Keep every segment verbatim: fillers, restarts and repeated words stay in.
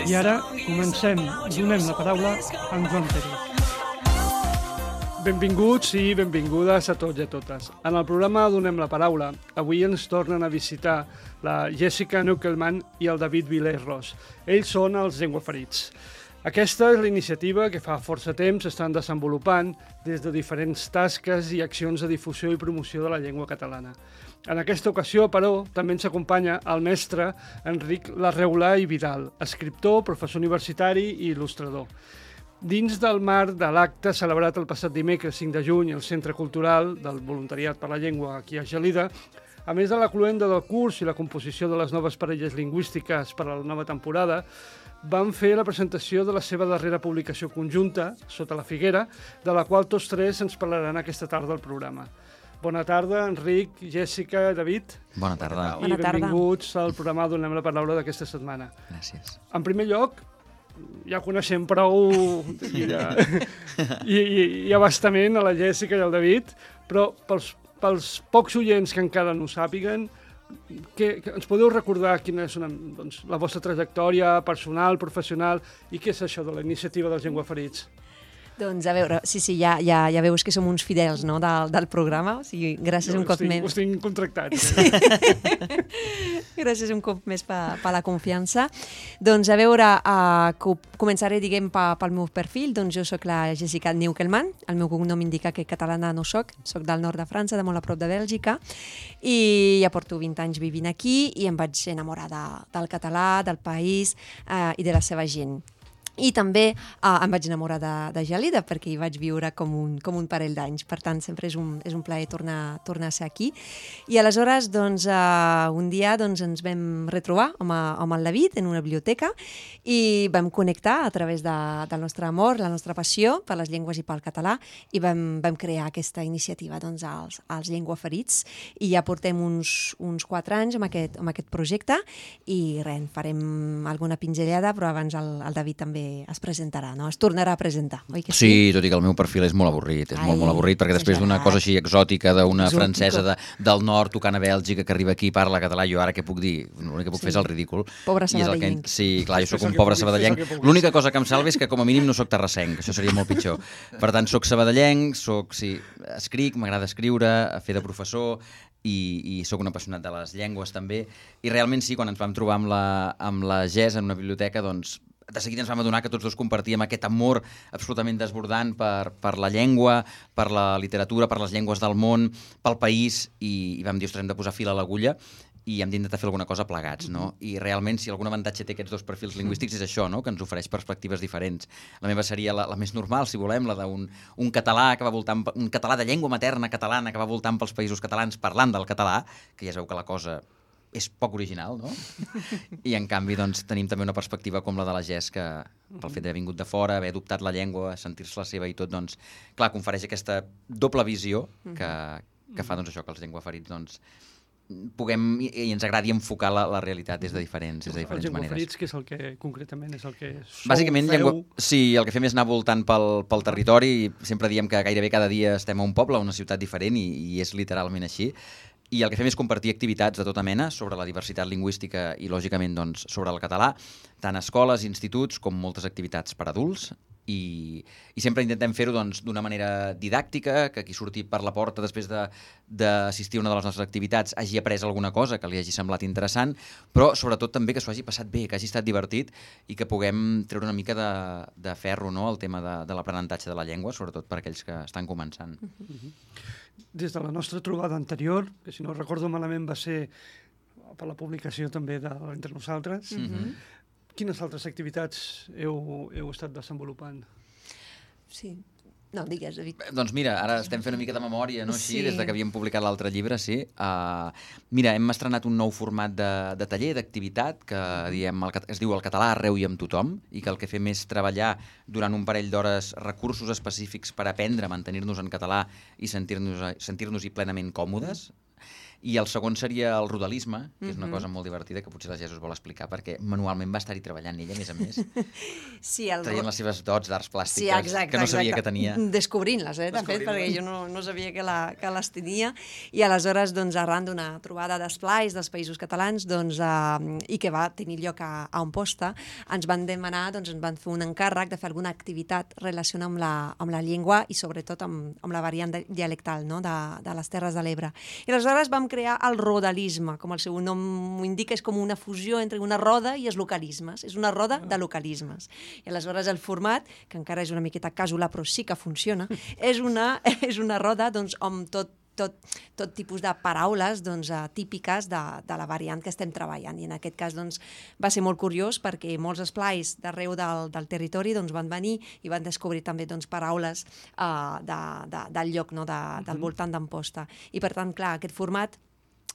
I ara comencem. Donem la paraula a en Joan Pérez. Benvinguts i benvingudes a tots i a totes. En el programa Donem la paraula, avui ens tornen a visitar la Jessica Neukelman i el David Vilés-Ros. Ells són els llengüaferits. Aquesta és la iniciativa que fa força temps estan desenvolupant des de diferents tasques i accions de difusió i promoció de la llengua catalana. En aquesta ocasió, però, també ens acompanya el mestre Enric Larreulà i Vidal, escriptor, professor universitari i il·lustrador. Dins del marc de l'acte celebrat el passat dimecres cinc de juny al Centre Cultural del Voluntariat per la Llengua aquí a Gelida, a més de la cloenda del curs i la composició de les noves parelles lingüístiques per a la nova temporada, van fer la presentació de la seva darrera publicació conjunta, Sota la figuera, de la qual tots tres ens parlaran aquesta tarda al programa. Bona tarda, Enric, Jessica, David. Bona tarda. I benvinguts al programa Donem la paraula d'aquesta setmana. Gràcies. En primer lloc, ja coneixem prou i, ja, i, i, i abastament a la Jessica i al David, però pels, pels pocs oients que encara no ho sàpiguen, que, que ens podeu recordar quina és una, doncs, la vostra trajectòria personal, professional, i què és això de la iniciativa dels llengüaferits? Doncs a veure, sí, sí, ja, ja, ja veus que som uns fidels, no, del, del programa, o sigui, gràcies jo un cop tinc, més. Us tinc contractats. Sí. Gràcies un cop més per, per la confiança. Doncs a veure, uh, començaré, diguem, pa, pel meu perfil. Doncs jo sóc la Jessica Neukelman, el meu cognom indica que catalana no soc, soc del nord de França, de molt a prop de Bèlgica, i ja porto vint anys vivint aquí i em vaig enamorar de, del català, del país uh, i de la seva gent. I també uh, em vaig enamorar de, de Gelida perquè hi vaig viure com un, com un parell d'anys. Per tant, sempre és un, és un plaer tornar, tornar a ser aquí. I aleshores, doncs, uh, un dia doncs, ens vam retrobar amb, amb el David en una biblioteca i vam connectar a través de, del nostre amor, la nostra passió per les llengües i pel català, i vam, vam crear aquesta iniciativa, doncs, als, als llengüaferits. I ja portem uns, uns quatre anys amb aquest, amb aquest projecte i res, farem alguna pinzellada, però abans el, el David també es presentarà, no? Es tornarà a presentar, oi que sí? Sí, tot i que el meu perfil és molt avorrit, és Ai, molt, molt avorrit, perquè després d'una cosa així exòtica, d'una francesa de, del nord tocant a Bèlgica que arriba aquí i parla català, jo ara què puc dir? L'únic que puc sí. fer és el ridícul. Pobre sabadellenc. Que... Sí, clar, jo sóc un pobre sabadellenc. L'única cosa que em salva és que com a mínim no sóc terrassenc, això seria molt pitjor. Per tant, sóc sabadellenc, soc, sí, escric, m'agrada escriure, fer de professor, i, i sóc un apassionat de les llengües també, i realment sí, quan ens vam trobar amb la, amb la Gés en una biblioteca, doncs de seguida ens vam adonar que tots dos compartíem aquest amor absolutament desbordant per, per la llengua, per la literatura, per les llengües del món, pel país, i, i vam dir, ostres, hem de posar fil a l'agulla i hem d'intentar fer alguna cosa plegats, no? I realment, si algun avantatge té aquests dos perfils lingüístics és això, no? Que ens ofereix perspectives diferents. La meva seria la, la més normal, si volem, la d'un un català que va voltant, un català de llengua materna catalana que va voltant pels països catalans parlant del català, que ja es veu que la cosa és poc original, no? I en canvi doncs, tenim també una perspectiva com la de la Gés, que pel fet d'haver vingut de fora, haver adoptat la llengua, sentir-se la seva i tot, doncs, clar, confereix aquesta doble visió que, que fa doncs, això que els llengüaferits doncs, puguem i, i ens agradi enfocar la, la realitat des de diferents, des de diferents els maneres. Els llengüaferits, què és el que concretament és el que sou, Bàsicament, feu? Llengua... sí, el que fem és anar voltant pel, pel territori, i sempre diem que gairebé cada dia estem a un poble, a una ciutat diferent, i, i és literalment així. I el que fem és compartir activitats de tota mena sobre la diversitat lingüística i, lògicament, doncs, sobre el català, tant a escoles, instituts, com moltes activitats per adults. I, i sempre intentem fer-ho doncs, d'una manera didàctica, que qui surti per la porta després d'assistir a una de les nostres activitats hagi après alguna cosa que li hagi semblat interessant, però sobretot també que s'ho hagi passat bé, que hagi estat divertit i que puguem treure una mica de, de ferro, no?, el tema de, de l'aprenentatge de la llengua, sobretot per aquells que estan començant. Uh-huh. Des de la nostra trobada anterior, que si no recordo malament va ser per la publicació també de Entre Nosaltres, uh-huh. quines altres activitats heu, heu estat desenvolupant? Sí. No, digues, David. Doncs mira, ara estem fent una mica de memòria, no? Així, sí. Des de que havíem publicat l'altre llibre, sí. Uh, mira, hem estrenat un nou format de, de taller, d'activitat, que diem, el, es diu El català arreu i amb tothom, i que el que fem és treballar durant un parell d'hores recursos específics per aprendre a mantenir-nos en català i sentir-nos sentir-nos-hi plenament còmodes. I el segon seria el rodalisme, que és una cosa molt divertida que potser la Jess us vol explicar, perquè manualment va estar-hi treballant ella, a més a més, sí, el... traient les seves dots d'arts plàstiques, sí, exacte, que no sabia exacte. que tenia. Descobrint-les, eh, de fet, perquè jo no, no sabia que, la, que les tenia. I aleshores, doncs, arran d'una trobada d'esplais dels Països Catalans, doncs, eh, i que va tenir lloc a, a Amposta, ens van demanar, doncs, ens van fer un encàrrec de fer alguna activitat relacionada amb la, amb la llengua i sobretot amb, amb la variant dialectal, no?, de, de les Terres de l'Ebre. I aleshores vam crear el rodalisme, com el seu nom ho indica, és com una fusió entre una roda i els localismes. És una roda de localismes. I aleshores el format, que encara és una miqueta càsula, però sí que funciona, és una, és una roda doncs, amb tot Tot, tot tipus de paraules doncs, típiques de, de la variant que estem treballant. I en aquest cas doncs, va ser molt curiós perquè molts esplais d'arreu del, del territori doncs, van venir i van descobrir també doncs, paraules uh, de, de, del lloc, no? de, del voltant d'Amposta. I per tant, clar, aquest format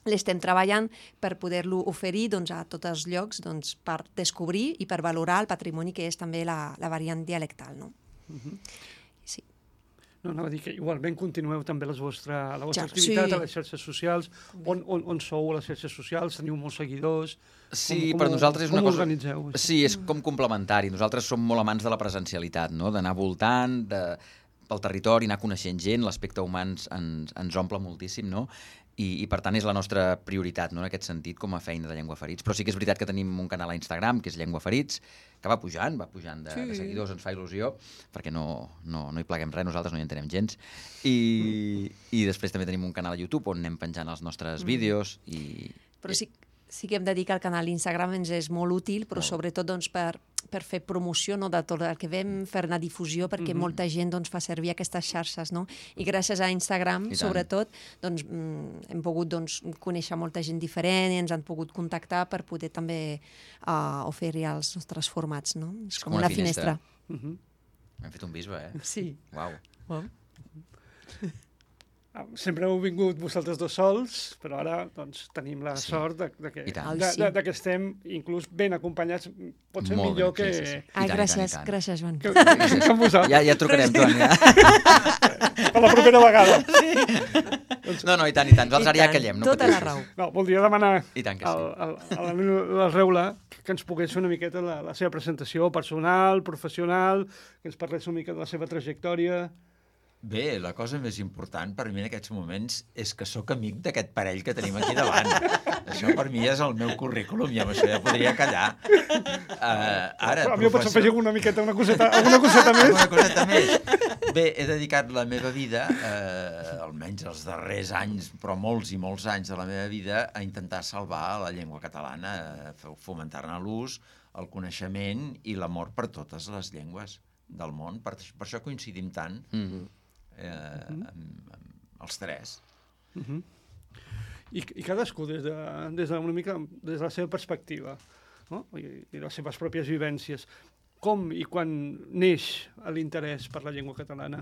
l'estem treballant per poder-lo oferir doncs, a tots els llocs doncs, per descobrir i per valorar el patrimoni que és també la, la variant dialectal. No? Uh-huh. Sí. No, anava a dir que igualment continueu també les vostra, la vostra Ja, activitat sí. a les xarxes socials. On, on, on sou a les xarxes socials? Teniu molts seguidors? Sí, com, per nosaltres és una com cosa... organitzeu? Sí, és com complementari. Nosaltres som molt amants de la presencialitat, no? D'anar voltant de... pel territori, anar coneixent gent, l'aspecte humà ens, ens, ens omple moltíssim, no? I, i per tant és la nostra prioritat, no? En aquest sentit, com a feina de Llengua Ferits. Però sí que és veritat que tenim un canal a Instagram, que és Llengua Ferits, que va pujant, va pujant de, sí. de seguidors, ens fa il·lusió, perquè no, no, no hi pleguem res, nosaltres no hi entenem gens. I, i després també tenim un canal a YouTube on anem penjant els nostres mm. vídeos. I... Però sí, sí que hem de dir que el canal Instagram ens és molt útil, però molt. sobretot doncs, per, per fer promoció, no, de tot el que vam fer una difusió, perquè mm-hmm. molta gent doncs, fa servir aquestes xarxes, no? I gràcies a Instagram, sobretot, doncs, mm, hem pogut doncs, conèixer molta gent diferent i ens han pogut contactar per poder també uh, oferir els nostres formats, no? És, és com, com una, una finestra. finestra. Mm-hmm. Hem fet un bisbe, eh? Sí. Uau. Wow. Sempre heu vingut vosaltres dos sols, però ara doncs, tenim la sí. sort de, de, que, de, de, de que estem inclús ben acompanyats, potser molt millor ben, que... Sí, sí, sí. Ai, tant, gràcies, tant, tant. gràcies, Joan. Que, que, que amb vosaltres. Ja, ja et trucarem, Joan. Ja. Per la propera vegada. Sí. Doncs... No, no, i tant, i tant. Nosaltres ara ja callem. No tota la raó. No, voldria demanar I tant que sí. al, al, a la Reula que ens pogués fer una miqueta la, la seva presentació personal, professional, que ens parlés una mica de la seva trajectòria... Bé, la cosa més important per mi en aquests moments és que sóc amic d'aquest parell que tenim aquí davant. Això per mi és el meu currículum i amb això ja podria callar. Uh, ara, a mi professor... pots afegir una miqueta, una coseta, alguna coseta més? Una coseta més. Bé, he dedicat la meva vida, eh, almenys els darrers anys, però molts i molts anys de la meva vida, a intentar salvar la llengua catalana, a fomentar-ne l'ús, el coneixement i l'amor per totes les llengües del món. Per, per això coincidim tant. Mm-hmm. Eh, uh-huh. amb, amb els tres. Uh-huh. I, I cadascú des de, des de una mica des de la seva perspectiva, no? I, i les seves pròpies vivències. Com i quan neix l'interès per la llengua catalana?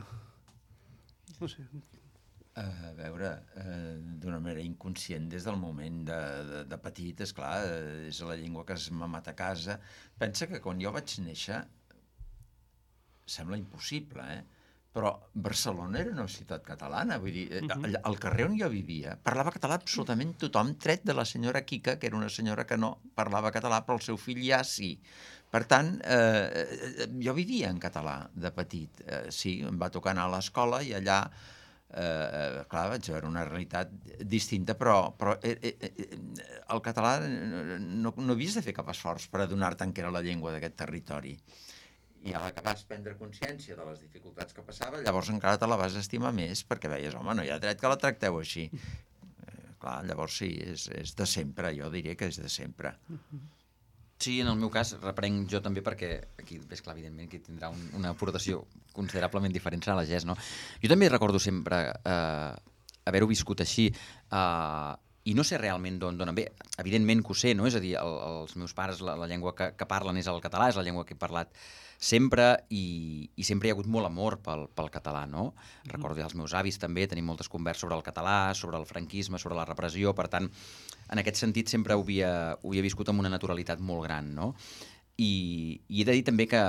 No sé. Uh, a veure, uh, d'una manera inconscient des del moment de, de, de petit, esclar, uh, és la llengua que es m'ha matat a casa. Pensa que quan jo vaig néixer sembla impossible, eh? Però Barcelona era una ciutat catalana, vull dir, uh-huh. al carrer on jo vivia parlava català absolutament tothom, tret de la senyora Quica, que era una senyora que no parlava català, però el seu fill ja sí. Per tant, eh, jo vivia en català de petit. Eh, sí, em va tocar anar a l'escola i allà, eh, clar, vaig veure una realitat distinta, però, però eh, eh, el català no, no havies de fer cap esforç per adonar-te que era la llengua d'aquest territori. I a la que vas prendre consciència de les dificultats que passava, llavors encara te la vas estimar més, perquè veies, home, no hi ha dret que la tracteu així. Eh, clar, llavors sí, és, és de sempre, jo diria que és de sempre. Sí, en el meu cas, reprenc jo també, perquè aquí, és clar, evidentment, que tindrà un, una aportació considerablement diferent serà la Jess, no? Jo també recordo sempre eh, haver-ho viscut així, eh, i no sé realment d'on ve. Evidentment que ho sé, no? És a dir, el, els meus pares, la, la llengua que, que parlen és el català, és la llengua que he parlat sempre, i, i sempre hi ha hagut molt amor pel, pel català, no? Mm-hmm. Recordo ja els meus avis també, tenim moltes converses sobre el català, sobre el franquisme, sobre la repressió, per tant, en aquest sentit sempre ho havia, ho havia viscut amb una naturalitat molt gran, no? I, i he de dir també que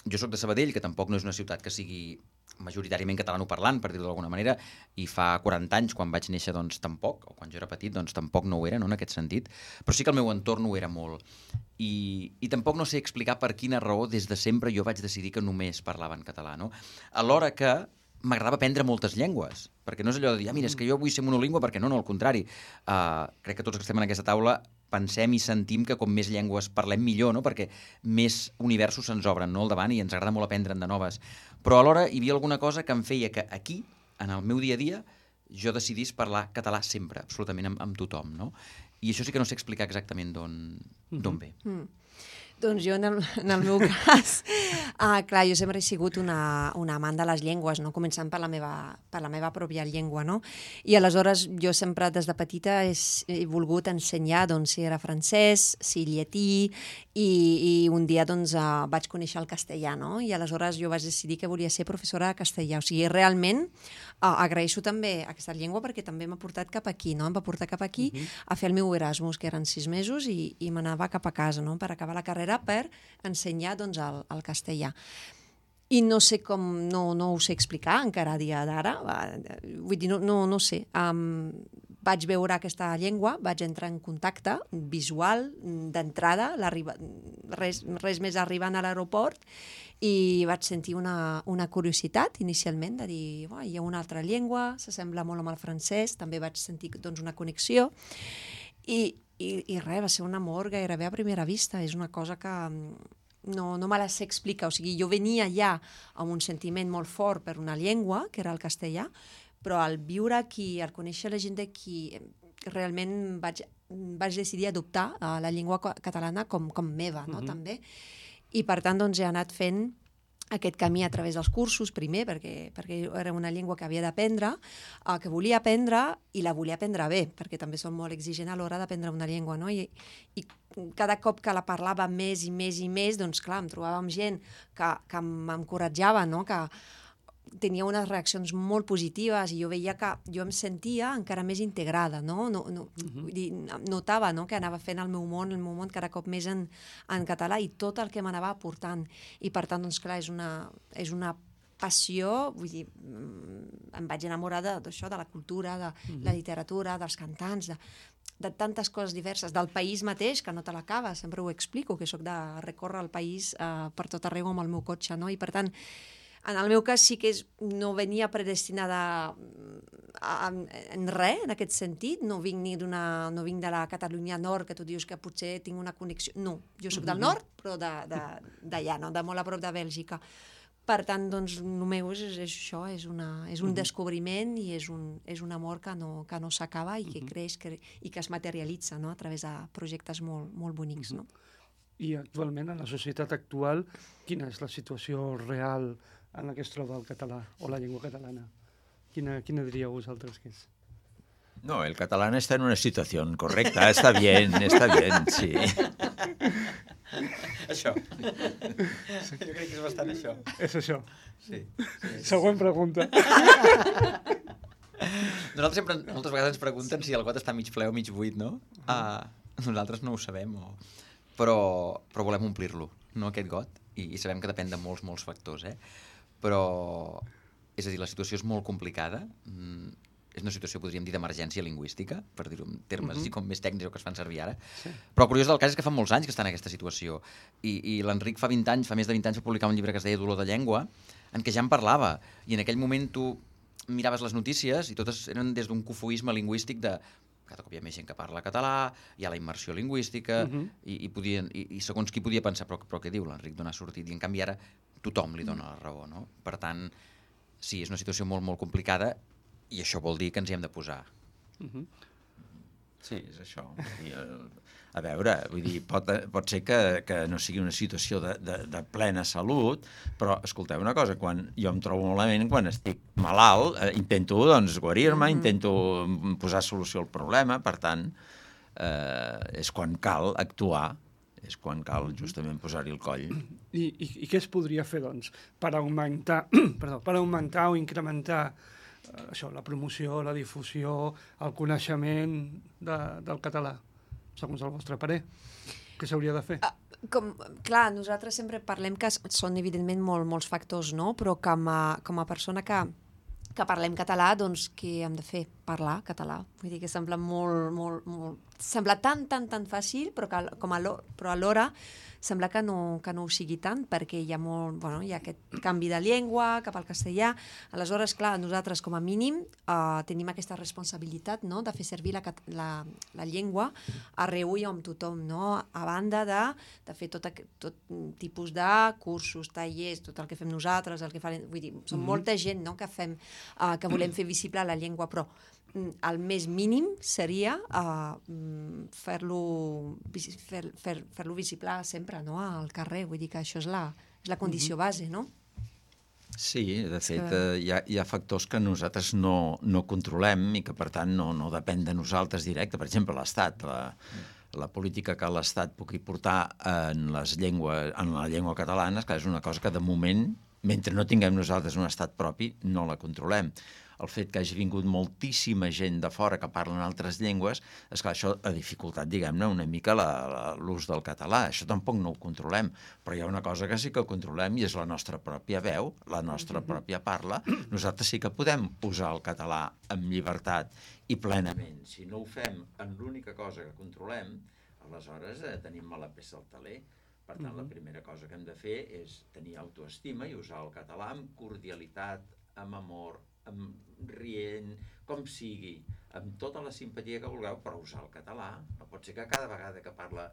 jo sóc de Sabadell, que tampoc no és una ciutat que sigui majoritàriament catalanoparlant, per dir-ho d'alguna manera, i fa quaranta anys, quan vaig néixer, doncs tampoc, o quan jo era petit, doncs tampoc no ho era, no, en aquest sentit, però sí que el meu entorn ho era molt. I, i tampoc no sé explicar per quina raó des de sempre jo vaig decidir que només parlava en català, no? Alhora que m'agradava aprendre moltes llengües, perquè no és allò de dir, ah, mira, és que jo vull ser monolingüe, perquè no, no, al contrari. Uh, crec que tots els que estem en aquesta taula pensem i sentim que com més llengües parlem millor, no? Perquè més universos se'ns obren, no?, al davant, i ens agrada molt aprendre'n de noves. Però alhora hi havia alguna cosa que em feia que aquí, en el meu dia a dia, jo decidís parlar català sempre, absolutament amb, amb tothom, no? I això sí que no sé explicar exactament d'on d'on ve. Mm. Doncs jo, en el, en el meu cas, uh, clar, jo sempre he sigut una, una amant de les llengües, no? Començant per la, meva, per la meva pròpia llengua, no? I aleshores jo sempre des de petita he, he volgut ensenyar, doncs, si era francès, si llatí, i, i un dia, doncs, uh, vaig conèixer el castellà, no? I aleshores jo vaig decidir que volia ser professora de castellà. O sigui, realment uh, agraeixo també aquesta llengua perquè també m'ha portat cap aquí, no? Em va portar cap aquí uh -huh. a fer el meu Erasmus, que eren sis mesos, i, i m'anava cap a casa, no?, per acabar la carrera per ensenyar, doncs, el, el castellà. I no sé com, no, no ho sé explicar encara a dia d'ara, vull dir, no, no, no sé. Um, vaig veure aquesta llengua, vaig entrar en contacte visual d'entrada, res, res més arribant a l'aeroport, i vaig sentir una, una curiositat inicialment de dir, oh, hi ha una altra llengua, s'assembla molt amb el francès, també vaig sentir, doncs, una connexió, i I, i res, va ser un amor gairebé a primera vista. És una cosa que no, no me la sé explicar. O sigui, jo venia ja amb un sentiment molt fort per una llengua, que era el castellà, però al viure aquí, al conèixer la gent d'aquí, realment vaig, vaig decidir adoptar uh, la llengua catalana com, com meva, no? Uh-huh. També. I per tant, doncs, he anat fent aquest camí a través dels cursos, primer, perquè, perquè era una llengua que havia d'aprendre, uh, que volia aprendre, i la volia aprendre bé, perquè també som molt exigent a l'hora d'aprendre una llengua, no? I, i cada cop que la parlava més i més i més, doncs clar, em trobava amb gent que, que m'encoratjava, no?, que tenia unes reaccions molt positives, i jo veia que jo em sentia encara més integrada, no? No, no, uh-huh. Vull dir, notava, no?, que anava fent el meu món, el meu món cada cop més en, en català, i tot el que m'anava aportant. I per tant, doncs clar, és una, és una passió, vull dir, em vaig enamorar d'això, de la cultura, de uh-huh. la literatura, dels cantants, de, de tantes coses diverses, del país mateix, que no te l'acabes, sempre ho explico, que sóc de recórrer el país uh, per tot arreu amb el meu cotxe, no? I per tant, en el meu cas sí que és, no venia predestinada a, a, en res, en aquest sentit. No vinc ni d'una, no vinc de la Catalunya Nord, que tu dius que potser tinc una connexió. No, jo sóc del nord, però d'allà, no? De molt a prop de Bèlgica. Per tant, doncs, el meu és, és això, és, una, és un descobriment, i és un, és un amor que no, que no s'acaba i que creix que, i que es materialitza, no?, a través de projectes molt, molt bonics, no? I actualment, en la societat actual, quina és la situació real en la que es troba el català o la llengua catalana? Quina, quina diríeu vosaltres que és? No, el catalán está en una situación correcta, está bien, está bien, sí. Això. Sí. Jo crec que és bastant això. És això. Sí. sí. Següent pregunta. Nosaltres sempre, moltes vegades ens pregunten si el got està mig ple o mig buit, no? Uh, nosaltres no ho sabem, o... però, però volem omplir-lo, no, aquest got, i, i sabem que depèn de molts, molts factors, eh? Però, és a dir, la situació és molt complicada, mm, és una situació, podríem dir, d'emergència lingüística, per dir-ho en termes uh-huh. com més tècnics que es fan servir ara, sí. Però el curiós del cas és que fa molts anys que està en aquesta situació, i, i l'Enric fa vint anys, fa més de vint anys, va publicar un llibre que es deia Dolor de llengua, en què ja en parlava, i en aquell moment tu miraves les notícies i totes eren des d'un cofoisme lingüístic de cada cop hi ha més gent que parla català, hi ha la immersió lingüística, uh-huh. i, i, podien, i, i segons qui podia pensar, però, però què diu l'Enric d'on ha sortit? I en canvi ara tothom li dona la raó, no? Per tant, sí, és una situació molt, molt complicada, i això vol dir que ens hi hem de posar. Uh-huh. Sí, és això. I, a veure, vull dir, pot, pot ser que, que no sigui una situació de, de, de plena salut, però escolteu una cosa, quan jo em trobo malament, quan estic malalt, eh, intento doncs, guarir-me, mm-hmm. intento posar solució al problema, per tant, eh, és quan cal actuar, és quan cal justament posar-hi el coll. I, i, I què es podria fer, doncs, per augmentar, perdó, per augmentar o incrementar eh, això, la promoció, la difusió, el coneixement de, del català, segons el vostre parer? Què s'hauria de fer? Com, clar, nosaltres sempre parlem que són evidentment molt, molts factors, no? Però com a, com a persona que, que parlem català, doncs què hem de fer? Parlar català. Vull dir que sembla molt, molt, molt... Sembla tan, tan, tan fàcil, però, que, com a però alhora sembla que no, que no ho sigui tant, perquè hi ha, molt, bueno, hi ha aquest canvi de llengua cap al castellà. Aleshores, clar, nosaltres com a mínim eh, tenim aquesta responsabilitat, no?, de fer servir la, la, la llengua arreu i amb tothom, no?, a banda de, de fer tot, tot tipus de cursos, tallers, tot el que fem nosaltres, el que fa, vull dir, som mm-hmm. molta gent, no?, que, fem, eh, que volem fer visible la llengua, però el més mínim seria uh, fer-lo fer, fer, fer-lo visible sempre, no?, al carrer. Vull dir que això és la, és la condició base, no? Sí, de fet, que... eh, hi, ha, hi ha factors que nosaltres no, no controlem i que, per tant, no, no depèn de nosaltres directe. Per exemple, l'Estat, la, la política que l'Estat pugui portar en, les llengües, en la llengua catalana, és, clar, és una cosa que, de moment, mentre no tinguem nosaltres un estat propi, no la controlem. El fet que hagi vingut moltíssima gent de fora que parlen altres llengües, és que això ha dificultat, diguem-ne, una mica l'ús del català. Això tampoc no ho controlem, però hi ha una cosa que sí que controlem i és la nostra pròpia veu, la nostra pròpia parla. Nosaltres sí que podem usar el català amb llibertat i plenament. Si no ho fem en l'única cosa que controlem, aleshores eh, tenim mala peça al taler. Per tant, la primera cosa que hem de fer és tenir autoestima i usar el català amb cordialitat, amb amor, amb rient, com sigui, amb tota la simpatia que vulgueu, però usar el català. No pot ser que cada vegada que parla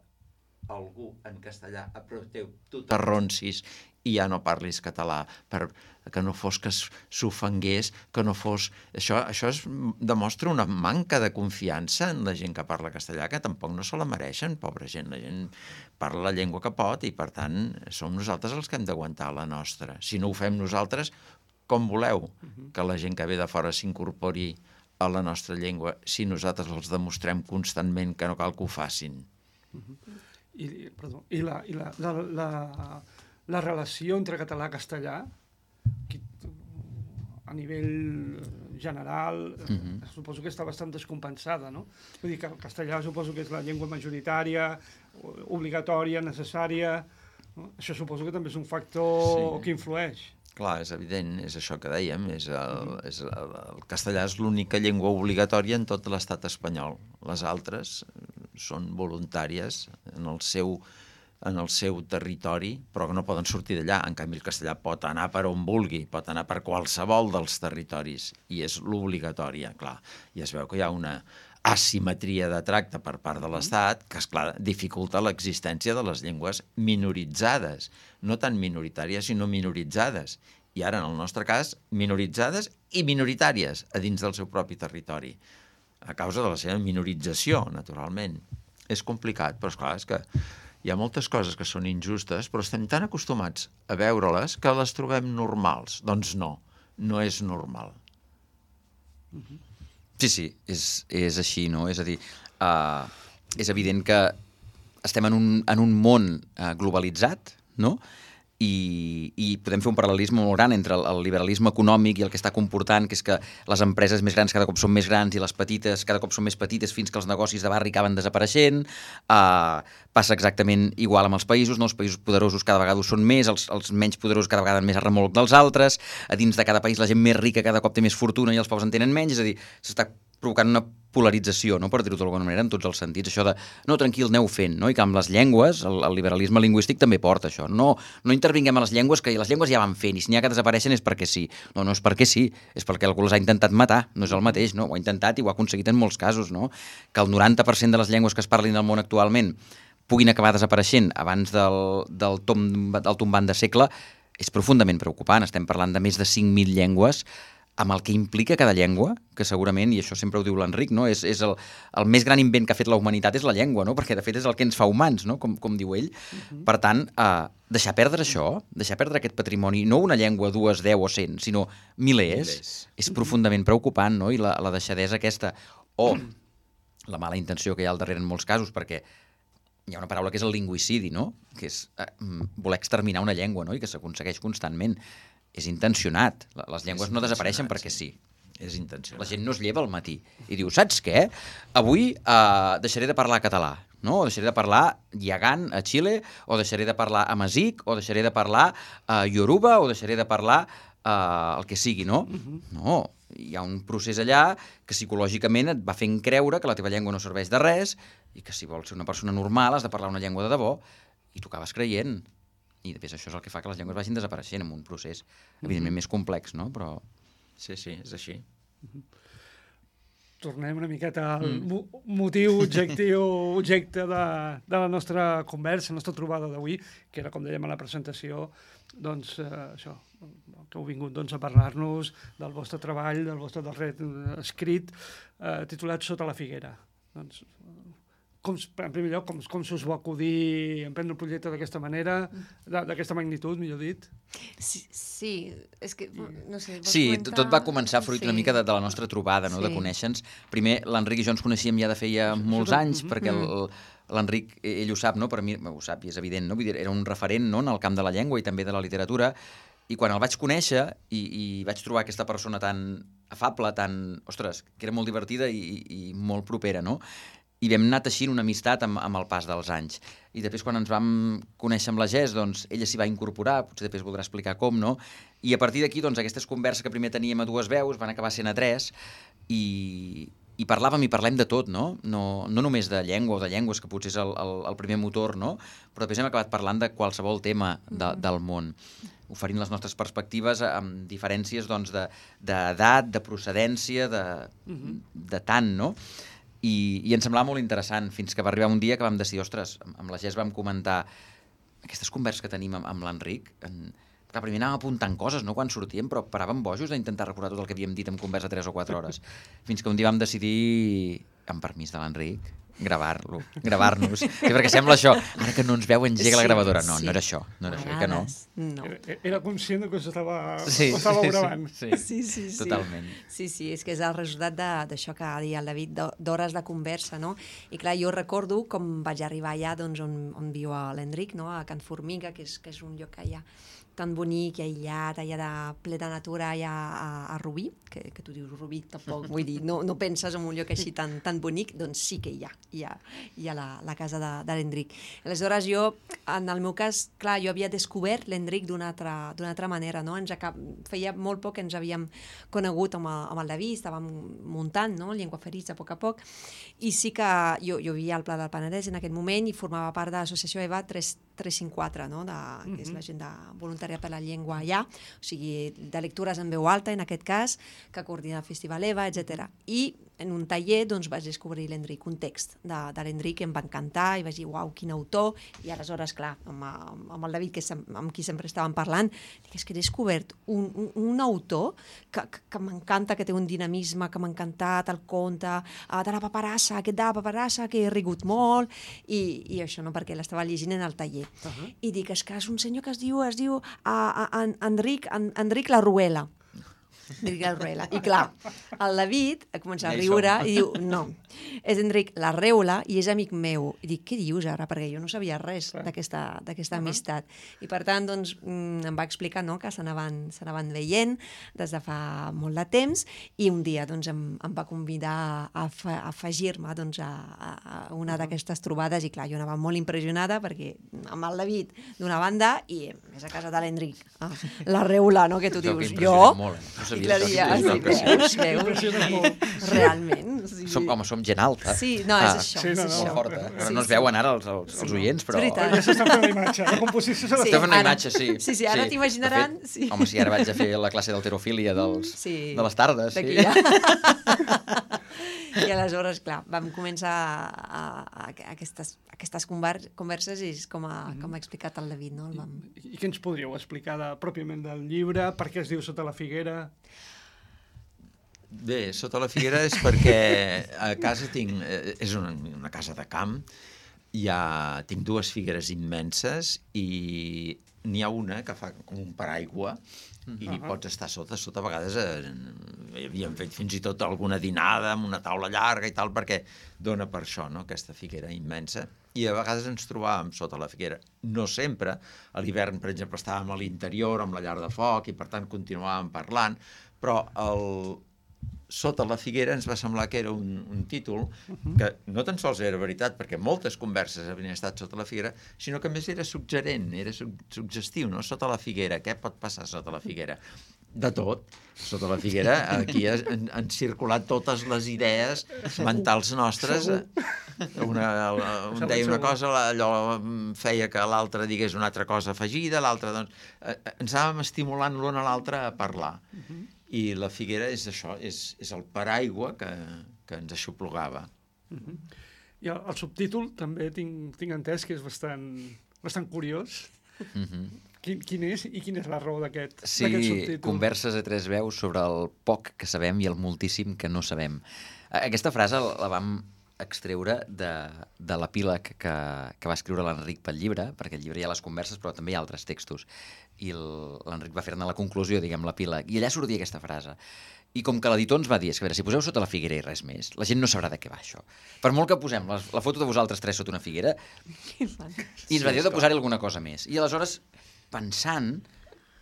algú en castellà apreteu, tu t'arronsis i ja no parlis català, per que no fos que s'ofengués, que no fos... Això, això es demostra una manca de confiança en la gent que parla castellà, que tampoc no se la mereixen, pobra gent. La gent parla la llengua que pot i, per tant, som nosaltres els que hem d'aguantar la nostra. Si no ho fem nosaltres, com voleu que la gent que ve de fora s'incorpori a la nostra llengua si nosaltres els demostrem constantment que no cal que ho facin? I, perdó, i, la, i la, la, la, la relació entre català i castellà, a nivell general, mm-hmm. suposo que està bastant descompensada, no? Vull dir que el castellà suposo que és la llengua majoritària, obligatòria, necessària. No? Això suposo que també és un factor sí. que influeix. Clar, és evident, és això que dèiem, és el, és el, el castellà és l'única llengua obligatòria en tot l'estat espanyol. Les altres són voluntàries en el seu, en el seu territori, però que no poden sortir d'allà. En canvi, el castellà pot anar per on vulgui, pot anar per qualsevol dels territoris, i és l'obligatòria, clar. I es veu que hi ha una asimetria de tracte per part de l'Estat que, esclar, dificulta l'existència de les llengües minoritzades, no tan minoritàries, sinó minoritzades. I ara, en el nostre cas, minoritzades i minoritàries a dins del seu propi territori, a causa de la seva minorització, naturalment. És complicat, però, esclar, és que hi ha moltes coses que són injustes, però estem tan acostumats a veure-les que les trobem normals. Doncs no, no és normal. Mhm. Sí, sí, és, és així, no? És a dir, uh, és evident que estem en un, en un món uh, globalitzat, no? I, i podem fer un paral·lelisme molt gran entre el, el liberalisme econòmic i el que està comportant, que és que les empreses més grans cada cop són més grans i les petites cada cop són més petites fins que els negocis de barri acaben desapareixent. Uh, passa exactament igual amb els països, no? Els països poderosos cada vegada ho són més, els, els menys poderosos cada vegada més a remolc dels altres, a dins de cada país la gent més rica cada cop té més fortuna i els pobres en tenen menys, és a dir, s'està provocant una polarització, no? Per dir-ho d'alguna manera, en tots els sentits, això de, no, tranquil, aneu fent, no? I que amb les llengües, el, el liberalisme lingüístic també porta això, no, no intervinguem a les llengües, que les llengües ja van fent, i si n'hi ha que desapareixen és perquè sí. No, no és perquè sí, és perquè algú les ha intentat matar, no és el mateix, no? Ho ha intentat i ho ha aconseguit en molts casos, no? Que el noranta per cent de les llengües que es parlin al món actualment puguin acabar desapareixent abans del, del, tom, del tombant de segle és profundament preocupant. Estem parlant de més de cinc mil llengües, amb el que implica cada llengua, que segurament, i això sempre ho diu l'Enric, no? és, és el, el més gran invent que ha fet la humanitat és la llengua, no? Perquè de fet és el que ens fa humans, no? com, com diu ell. Uh-huh. Per tant, eh, deixar perdre això, deixar perdre aquest patrimoni, no una llengua, dues, deu o cent, sinó milers, milers. És uh-huh. profundament preocupant, no? I la, la deixadesa aquesta, o la mala intenció que hi ha al darrere en molts casos, perquè hi ha una paraula que és el lingüicidi, no? Que és eh, voler exterminar una llengua, no? I que s'aconsegueix constantment. És intencionat. Les llengües no desapareixen perquè sí. És intencionat. La gent no es lleva al matí i diu, saps què? Avui uh, deixaré de parlar català. no? O deixaré de parlar Yagán a Xile, o deixaré de parlar Amazigh, o deixaré de parlar uh, Yoruba, o deixaré de parlar uh, el que sigui, no? Uh-huh. No, hi ha un procés allà que psicològicament et va fent creure que la teva llengua no serveix de res i que si vols ser una persona normal has de parlar una llengua de debò i t'ho acabes creient. I després això és el que fa que les llengües vagin desapareixent en un procés, evidentment, uh-huh. més complex, no? Però... Sí, sí, és així. Uh-huh. Tornem una miqueta al mm. mo motiu, objectiu, objecte de, de la nostra conversa, la nostra trobada d'avui, que era, com dèiem a la presentació, doncs, eh, això, que heu vingut doncs, a parlar-nos del vostre treball, del vostre darrer escrit, eh, titulat Sota la figuera. Doncs, com, en primer lloc, com, com s'us va acudir a emprendre un projecte d'aquesta manera, d'aquesta magnitud, millor dit? Sí, sí, és que, no sé... Sí, comentar... tot va començar fruit sí. una mica de, de la nostra trobada, no? Sí. De conèixer-nos. Primer, l'Enric i jo ens coneixíem ja de feia molts anys, perquè l'Enric, ell ho sap, no? Per mi ho sap i és evident, no? Vull dir, era un referent, no? En el camp de la llengua i també de la literatura, i quan el vaig conèixer i, i vaig trobar aquesta persona tan afable, tan... Ostres, que era molt divertida i, i molt propera, no? I vam anar teixint una amistat amb, amb el pas dels anys. I després, quan ens vam conèixer amb la Gess, doncs, ella s'hi va incorporar, potser després voldrà explicar com, no? I a partir d'aquí, doncs, aquestes converses que primer teníem a dues veus van acabar sent a tres, i, i parlàvem i parlem de tot, no? No, no només de llengua o de llengües, que potser és el, el, el primer motor, no? Però després hem acabat parlant de qualsevol tema de, del món, oferint les nostres perspectives amb diferències, doncs, de, d'edat, de procedència, de, de tant, no? I, i ens semblava molt interessant, fins que va arribar un dia que vam decidir, ostres, amb la Gess vam comentar aquestes converses que tenim amb, amb l'Enric, en... clar, primer anàvem apuntant coses, no?, quan sortíem, però paràvem bojos d'intentar recordar tot el que havíem dit en conversa tres o quatre hores, fins que un dia vam decidir, amb permís de l'Enric, gravar-lo, gravar-nos. Sí, perquè sembla això, ara que no ens veu engega sí, la gravadora. No, sí. no era això, no era això, que no. no. Era, era conscient que s'estava sí, gravant. Sí, sí, sí, sí, sí. Totalment. Sí, sí, és que és el resultat d'això que ha dit el David, d'hores de conversa, no? I clar, jo recordo com vaig arribar allà doncs, on, on viu l'Enric, no? A Can Formiga, que és, que és un lloc que hi ha tan bonic i aïllat, allà de ple de natura, allà a, a Rubí, que, que tu dius Rubí tampoc, vull dir, no, no penses en un lloc així tan, tan bonic, doncs sí que hi ha, hi ha, hi ha la, la casa de, de l'Enric. Aleshores jo, en el meu cas, clar, jo havia descobert l'Enric d'una altra, d'una altra manera, no? Ens acab... Feia molt poc que ens havíem conegut amb el, amb el David, estàvem muntant, no?, Llengua Ferits a poc a poc, i sí que jo, jo vivia al Pla del Penedès en aquest moment i formava part de l'associació EVA tres cinquanta-quatre, no?, de, que és l'agenda voluntària per la llengua allà, o sigui, de lectures en veu alta, en aquest cas, que coordina el Festival EVA, etcètera. I en un taller doncs, vaig descobrir l'Enric, un text de, de l'Enric que em va encantar i vaig dir, uau, quin autor, i aleshores, clar, amb, amb el David, que sem amb qui sempre estàvem parlant, dic, és que he descobert un, un, un autor que, que, que m'encanta, que té un dinamisme, que m'ha encantat, el conte, uh, de la paperassa, aquest de la paperassa, que he rigut molt, i, i això, no?, perquè l'estava llegint en el taller. Uh -huh. I dic, és que és un senyor que es diu, es diu uh, uh, en, Enric, en, Enric Larruela. Enric Larruela. I clar, el David a començar a riure i diu, no, és Enric Larreula i és amic meu. I dic, què dius ara? Perquè jo no sabia res d'aquesta uh-huh. amistat. I per tant, doncs, em va explicar, no?, que s'anaven veient des de fa molt de temps i un dia doncs, em, em va convidar a, a afegir-me doncs, a, a una d'aquestes trobades i clar, jo anava molt impressionada perquè amb el David d'una banda i més a casa de l'Enric. Ah, Larreula, no?, que tu dius, jo... Molt, eh? I clar, ja, sí, veus, veus, realment. Sí. Som, home, som gent alta. Sí, no, és ah, això. Sí, és no, això. Molt forta. Sí, no es sí. veuen ara els, els, els oients, però... Ja s'està fent la imatge, la composició se l'està sí, fent una ara, imatge, sí. Sí, sí, ara sí. t'imaginaran... De fet, sí. home, sí, ara vaig a fer la classe d'alterofília dels, sí. de les tardes. D'aquí Sí. ja. I aleshores, clar, vam començar a, a, a aquestes, aquestes converses i és com ha, com ha explicat el David, no? El vam... I, I què ens podríeu explicar de, pròpiament del llibre? Per què es diu Sota la figuera? Bé, Sota la figuera és perquè a casa tinc... És una, una casa de camp, hi ha, tinc dues figueres immenses i n'hi ha una que fa com un paraigua i uh-huh. pots estar sota. Sota a vegades eh, havíem fet fins i tot alguna dinada amb una taula llarga i tal perquè dona per això, no?, aquesta figuera immensa. I a vegades ens trobàvem sota la figuera. No sempre. A l'hivern, per exemple, estàvem a l'interior amb la llar de foc i per tant continuàvem parlant, però el... Sota la figuera ens va semblar que era un, un títol que no tan sols era veritat, perquè moltes converses havien estat sota la figuera, sinó que a més era suggerent, era su suggestiu, no? Sota la figuera, què pot passar sota la figuera? De tot. Sota la figuera, aquí han, han circulat totes les idees mentals nostres. Una, un deia una cosa, allò feia que l'altre digués una altra cosa afegida, l'altre, doncs... Ens anàvem estimulant l'un a l'altre a parlar. I la figuera és això, és, és el paraigua que, que ens aixoplugava. Uh-huh. I el, el subtítol també tinc, tinc entès que és bastant, bastant curiós. Uh-huh. Quin, quin és i quina és la raó d'aquest sí, subtítol? Converses a tres veus sobre el poc que sabem i el moltíssim que no sabem. Aquesta frase la vam extreure de, de l'epíleg que, que va escriure l'Enric pel llibre, perquè al llibre hi ha les converses però també hi ha altres textos. I l'Enric va fer-ne la conclusió, diguem, l'epíleg, i allà sortia aquesta frase. I com que l'editor ens va dir, és que a veure, si poseu sota la figuera i res més, la gent no sabrà de què va això. Per molt que posem la, la foto de vosaltres tres sota una figuera, i ens va dir de posar-hi alguna cosa més. I aleshores, pensant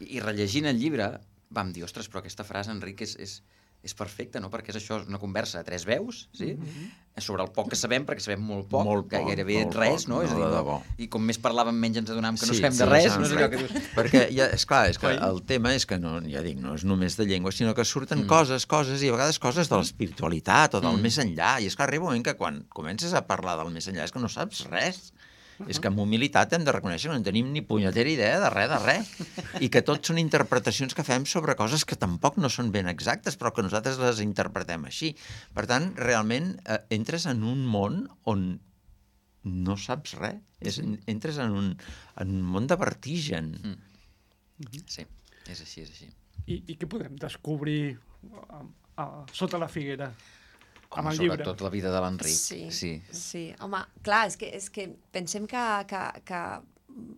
i rellegint el llibre, vam dir, ostres, però aquesta frase, Enric, és, és, és perfecta, no? Perquè és això, és una conversa a tres veus, sí? Mm-hmm. Sobre el poc que sabem, perquè sabem molt poc, molt poc gairebé molt res, poc, no? no, és a dir, de debò. I com més parlàvem, menys ens adonàvem que no sí, sabem sí, de res. No sé res. que dius... Perquè, ja, esclar, és que el tema és que, no, ja dic, no és només de llengua, sinó que surten mm. coses, coses, i a vegades coses de l'espiritualitat o del mm. més enllà. I és que arriba un moment que quan comences a parlar del més enllà és que no saps res. Uh -huh. És que amb humilitat hem de reconèixer que no tenim ni punyetera idea de res, de res. I que tot són interpretacions que fem sobre coses que tampoc no són ben exactes, però que nosaltres les interpretem així. Per tant, realment, eh, entres en un món on no saps res. És, entres en un, en un món de vertigen. Mm. Uh-huh. Sí, és així, és així. I, i què podem descobrir a, a, sota la figuera? Home, amb el llibre. Sobretot la vida de l'Enric. Sí, sí, sí. Home, clar, és que, és que pensem que, que, que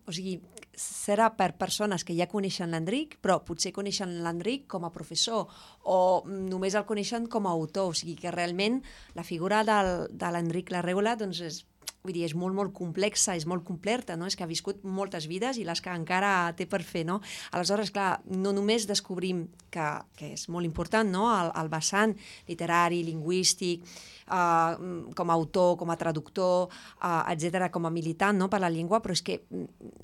o sigui, serà per persones que ja coneixen l'Enric, però potser coneixen l'Enric com a professor o només el coneixen com a autor. O sigui que realment la figura del, de l'Enric Larreula doncs és, vull dir, és molt, molt complexa, és molt completa, no? És que ha viscut moltes vides i les que encara té per fer, no? Aleshores, clar, no només descobrim que, que és molt important, no?, el, el vessant literari, lingüístic, uh, com a autor, com a traductor, uh, etcètera, com a militant, no?, per la llengua, però és que,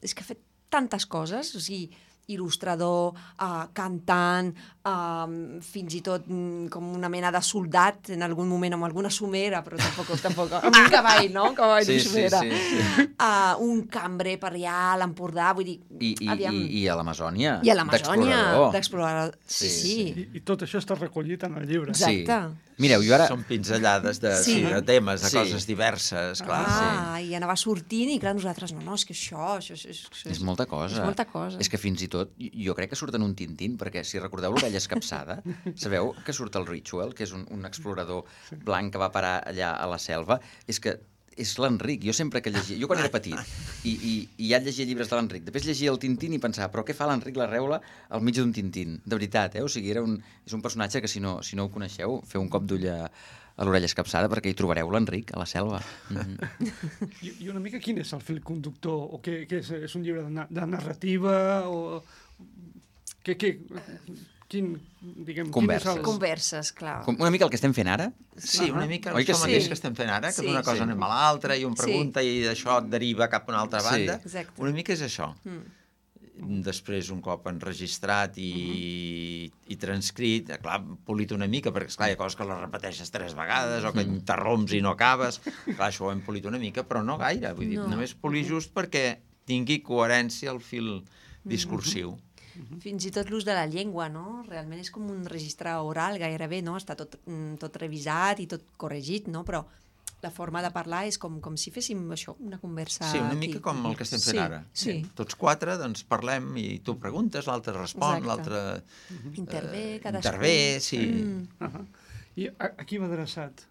és que ha fet tantes coses, o sigui, il·lustrador, uh, cantant, uh, fins i tot um, com una mena de soldat en algun moment, amb alguna somera, però tampoc, tampoc amb un cavall, no? Cavall sí, de somera. Sí, sí, sí. Uh, un cambrer per allà a l'Empordà, vull dir... I, i, aviam... i, i a l'Amazònia. I a l'Amazònia, d'explorador. Sí, sí. sí. I, I tot això està recollit en el llibre. Exacte. Sí. Mireu, jo ara... Són pinzellades de, sí. Sí, de temes, de sí. coses diverses, clar. Ah, sí. i anava sortint i clar, nosaltres, no, no, és que això... això, això, això és molta cosa. És molta cosa. És que fins i tot, jo crec que surten un Tintín, perquè si recordeu l'Orella Escapçada, sabeu que surt el Ritual, que és un, un explorador blanc que va parar allà a la selva, és que és l'Enric. Jo sempre que llegia... Jo quan era petit i, i, i ja llegia llibres de l'Enric, després llegia el Tintín i pensava, però què fa l'Enric Larreula al mig d'un Tintín? De veritat, eh? O sigui, era un, és un personatge que si no, si no ho coneixeu, feu un cop d'ull a, a l'Orella Escapçada perquè hi trobareu l'Enric a la selva. Mm-hmm. I, I una mica quin és el fil conductor? O què, què és? És un llibre de, na de narrativa? O... Què, què, quin, diguem, Converses. quin és el... Converses, clar. Com, una mica el que estem fent ara? Sí, una mica Oi que això sí? mateix que estem fent ara, que Sí. d'una cosa Sí. anem a l'altra i un pregunta Sí. i d'això et deriva cap a una altra Sí. banda. Exacte. Una mica és això. Mm. Després, un cop enregistrat i, uh-huh. i transcrit, clar, polit una mica, perquè esclar, hi ha coses que les repeteixes tres vegades o que interromps i no acabes. Clar, això ho hem polit una mica, però no gaire. Vull dir, No. només polir just perquè tingui coherència el fil discursiu. Fins i tot l'ús de la llengua, no? Realment és com un registre oral gairebé, no? Està tot, mm, tot revisat i tot corregit, no? Però la forma de parlar és com, com si féssim això, una conversa Sí, una aquí. mica com el que estem fent sí, ara. Sí, Tots quatre, doncs, parlem i tu preguntes, l'altre respon, Exacte. l'altre... intervé, eh, cadascú. Intervé, sí. Mm. Uh -huh. I a, a qui va adreçat?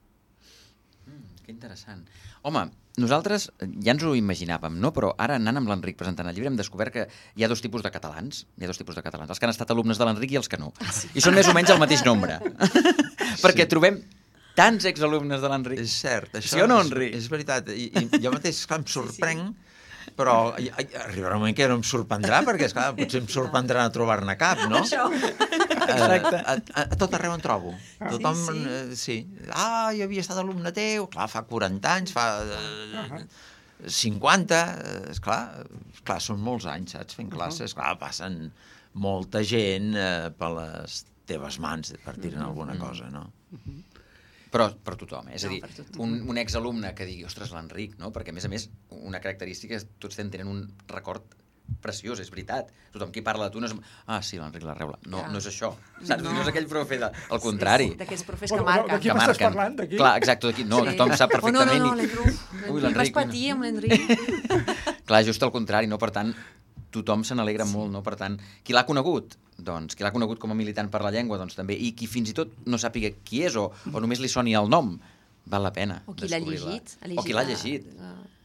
Mm, que interessant. Home, nosaltres ja ens ho imaginàvem, no? Però ara, anant amb l'Enric presentant el llibre, hem descobert que hi ha dos tipus de catalans. Hi ha dos tipus de catalans, els que han estat alumnes de l'Enric i els que no. Ah, sí. I són més o menys el mateix nombre. Perquè Sí. trobem tants exalumnes de l'Enric. És cert, això Sí o no, és, Enric? és veritat. I, i jo mateix, esclar, em sorprenc, però i, i, arribarà un moment que no em sorprendrà, perquè, esclar, potser em sorprendrà no trobar-ne cap, no? Això. a, a, a tot arreu en trobo. Tothom, sí. Ah, jo havia estat alumne teu, clar, fa quaranta anys, fa cinquanta, esclar, clar, són molts anys, saps, fent classes, clar, passen molta gent per les teves mans, per dir-ne alguna cosa, no? Però per tothom, eh? És a dir, un, un exalumne que digui, ostres, l'Enric, no? Perquè, a més a més, una característica és que tots tenen un record preciós, és veritat. Tothom qui parla de tu no és... Ah, sí, l'Enric la Reula. No, no és això. Saps? No, no és aquell profe de... Al contrari. Sí, d'aquells profes que marquen. D'aquí m'estàs parlant, d'aquí? Clar, exacte, d'aquí. No, tothom sap perfectament. Oh, no, no, no, l'Enric. Vas patir amb l'Enric. Clar, just al contrari, no? Per tant, tothom se n'alegra molt, no? Per tant, qui l'ha conegut? Doncs qui l'ha conegut com a militant per la llengua, doncs també. I qui fins i tot no sàpiga qui és o, o només li soni el nom, val la pena o qui l'ha llegit. O qui l'ha llegit.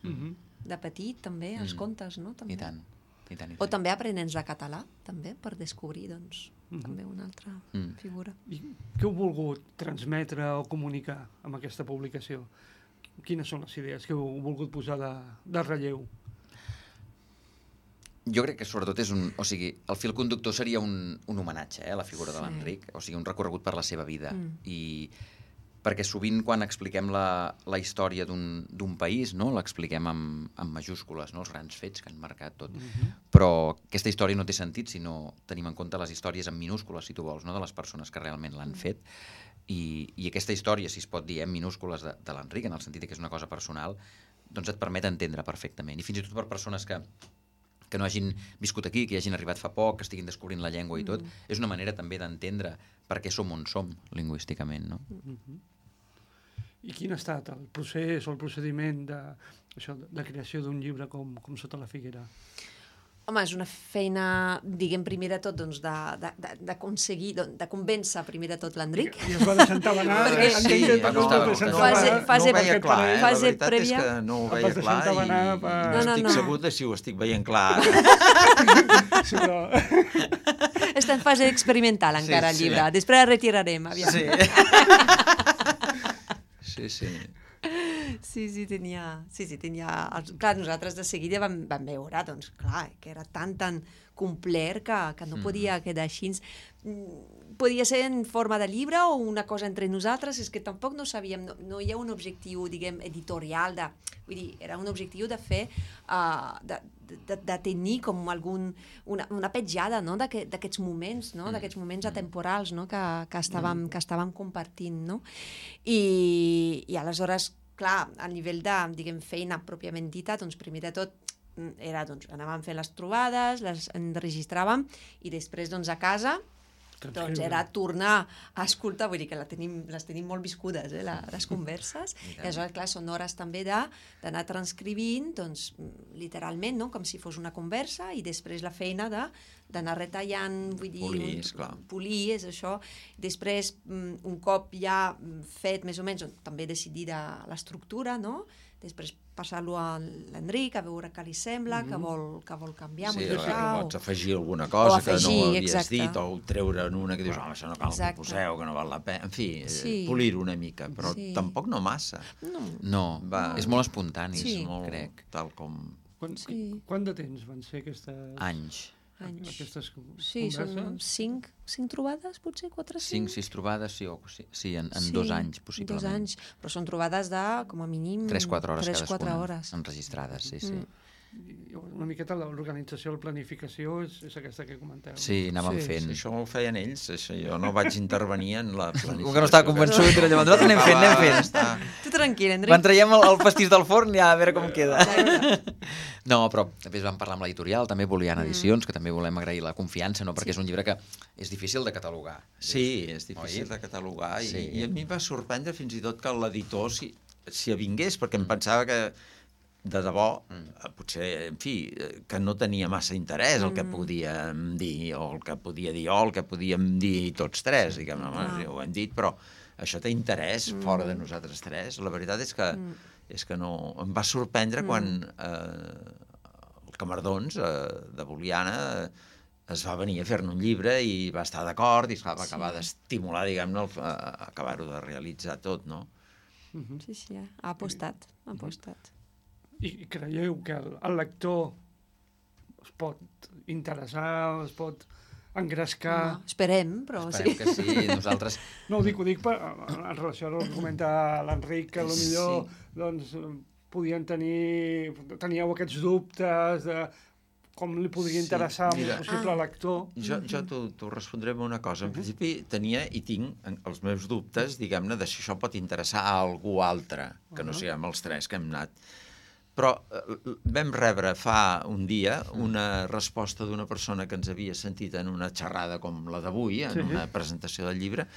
De petit, també, els contes, no? I tant. I tant, i tant. O també aprenents de català, també, per descobrir, doncs, mm-hmm. també una altra mm. figura. I què heu volgut transmetre o comunicar amb aquesta publicació? Quines són les idees que heu volgut posar de, de relleu? Jo crec que sobretot és un... O sigui, el fil conductor seria un, un homenatge eh, a la figura de l'Enric, o sigui, un recorregut per la seva vida. Mm. I perquè sovint quan expliquem la, la història d'un país, no? L'expliquem amb, amb majúscules, no? Els grans fets que han marcat tot. Mm-hmm. Però aquesta història no té sentit si no tenim en compte les històries en minúscules, si tu vols, no? De les persones que realment l'han mm. fet. I, I aquesta història, si es pot dir, en minúscules de, de l'Enric, en el sentit que és una cosa personal, doncs et permet entendre perfectament. I fins i tot per persones que que no hagin viscut aquí, que hagin arribat fa poc, que estiguin descobrint la llengua i tot, mm. és una manera també d'entendre per què som on som, lingüísticament, no? Mm-hmm. I quin ha estat el procés o el procediment de, això, de creació d'un llibre com, com Sota la figuera? Home, és una feina, diguem, primer de tot, doncs, d'aconseguir, de, de, de convèncer primer de tot l'Enric. I es va deixar entabanar. Perquè sí, no, no, no, no, fase, fase, no ho veia clar, eh? La veritat prèvia. és que no ho veia clar i per... no, no, estic no. segur de si ho estic veient clar. Sí, però... Està en fase experimental encara sí, el llibre. sí. Després el retirarem, aviam. Sí. Sí, sí. Sí, sí, tenia... Sí, sí, tenia... Clar, nosaltres de seguida vam, vam veure, doncs, clar, que era tan, tan complet que, que no podia quedar així. Podia ser en forma de llibre o una cosa entre nosaltres, és que tampoc no sabíem, no, no hi ha un objectiu, diguem, editorial, de, vull dir, era un objectiu de fer, uh, de, de, de tenir com algun, una, una petjada, no?, d'aquests moments, no?, d'aquests moments atemporals, no?, que, que, estàvem, que estàvem compartint, no? I, i aleshores, clar, a nivell de, diguem, feina pròpiament dita, doncs primer de tot era, doncs, anàvem fent les trobades, les enregistràvem i després, doncs, a casa, doncs era tornar a escoltar, vull dir que la tenim, les tenim molt viscudes, eh, la, les converses, i aleshores, clar, són hores també d'anar transcrivint, doncs, literalment, no?, com si fos una conversa, i després la feina de d'anar retallant, vull dir... Polir, esclar. Polir, és això. Després, un cop ja fet, més o menys, també decidida l'estructura, no?, després passar-lo a l'Enric, a veure què li sembla, mm-hmm. que, vol, que vol canviar, sí, modificar... Sí, pots afegir alguna cosa afegir, que no havies exacte. dit, o treure en una que dius, home, això no cal exacte. Que poseu, que no val la pena... En fi, sí. polir-ho una mica, però sí. tampoc no massa. No, no va, és molt espontani, sí. és molt, crec. Tal com... Quan, sí. Quant de temps van ser aquestes... Anys. Anys. Aquestes sí, són cinc, cinc trobades, potser, quatre, cinc? Cinc, sis trobades, sí, o, sí, sí en, en sí, dos anys, possiblement. Dos anys, però són trobades de, com a mínim... Tres, quatre hores tres, cadascuna, hores. enregistrades, sí, sí. Mm. Una miqueta l'organització, la planificació és, és aquesta que comenteu. Sí, anàvem sí, fent. Sí, això ho feien ells, això, jo no vaig intervenir en la planificació. Com que no estava convençut, era llavors, nosaltres anem fent, anem fent. Està... Tu tranquil, Enric. Quan traiem el, el pastís del forn, ja a veure com queda. No, però també vam parlar amb l'editorial, també Boliana Edicions, que també volem agrair la confiança, no? Perquè sí. és un llibre que és difícil de catalogar. Sí, és difícil Oi? de catalogar, i, sí. i a mi em va sorprendre fins i tot que l'editor s'hi si avingués, perquè em pensava que de debò, mm. potser, en fi, que no tenia massa interès el que podíem dir, o el que podia dir jo, el que podíem dir tots tres, diguem, home, ah. ho hem dit, però això té interès mm. fora de nosaltres tres. La veritat és que, mm. és que no... Em va sorprendre mm. quan eh, el Camardons, eh, de Boliana, eh, es va venir a fer-ne un llibre i va estar d'acord i esclar, va acabar sí. d'estimular, diguem-ne, acabar-ho de realitzar tot, no? Mm-hmm. Sí, sí, ha apostat, ha apostat. I creieu que el, el lector es pot interessar, es pot engrescar... No, esperem, però Esperem sí. que sí, nosaltres... No, ho dic, ho dic per, en relació a el que comenta l'Enric, que potser doncs, podien tenir... Teníeu aquests dubtes de com li podria Sí, interessar a un mira, possible ah. lector. Jo, jo t'ho respondré amb una cosa. En principi tenia i tinc els meus dubtes, diguem-ne, de si això pot interessar a algú altre, que no siguem els tres que hem anat. Però eh, vam rebre fa un dia una resposta d'una persona que ens havia sentit en una xerrada com la d'avui, en Sí. una presentació del llibre,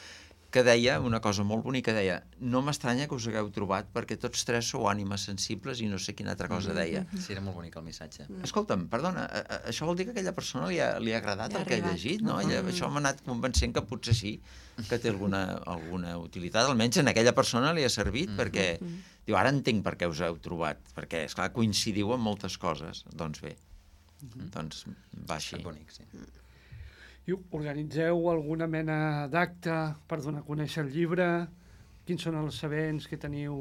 que deia una cosa molt bonica, deia no m'estranya que us hagueu trobat perquè tots tres sou ànimes sensibles i no sé quina altra cosa deia. Sí, era molt bonic el missatge. Escolta'm, perdona, a, a, això vol dir que a aquella persona li ha, li ha agradat Li ha el que ha arribat. llegit, no? Ella, això m'ha anat convencent que potser sí, que té alguna, alguna utilitat, almenys en aquella persona li ha servit, perquè diu, ara entenc per què us heu trobat, perquè, esclar, coincidiu en moltes coses. Doncs bé, doncs va així. És bonic, sí. I organitzeu alguna mena d'acte per donar a conèixer el llibre? Quins són els events que teniu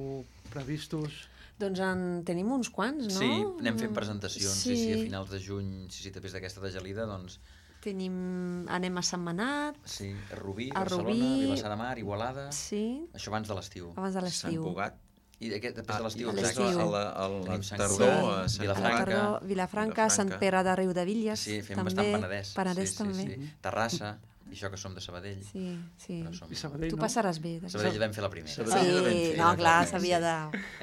previstos? Doncs en tenim uns quants, no? Sí, anem fent presentacions, sí, Sí. sí, a finals de juny, sí, sí, després d'aquesta de gelida, doncs, Tenim... Anem a Sentmenat, sí, a Rubí, A Barcelona, Rubí. Vilassar de Mar, Igualada, sí, això abans de l'estiu. abans de Sant l'estiu. Cugat. I aquest, després de l'estiu, a exacte. l'estiu. A la, a la Tenim Sant tardor, Cugat, a Sant Vilafranca. Cugat. Tardor, Vilafranca, Sant Pere de Riudevilles, Sí, fem també. bastant Penedès. Penedès sí, sí, també. Sí. Terrassa, i això que som de Sabadell. Sí, sí. Però som... I Sabadell, Tu no? passaràs bé. de- Sabadell vam fer la primera. Sabadell ja vam Sí, fer, no, ja clar, vam fer, s'havia de...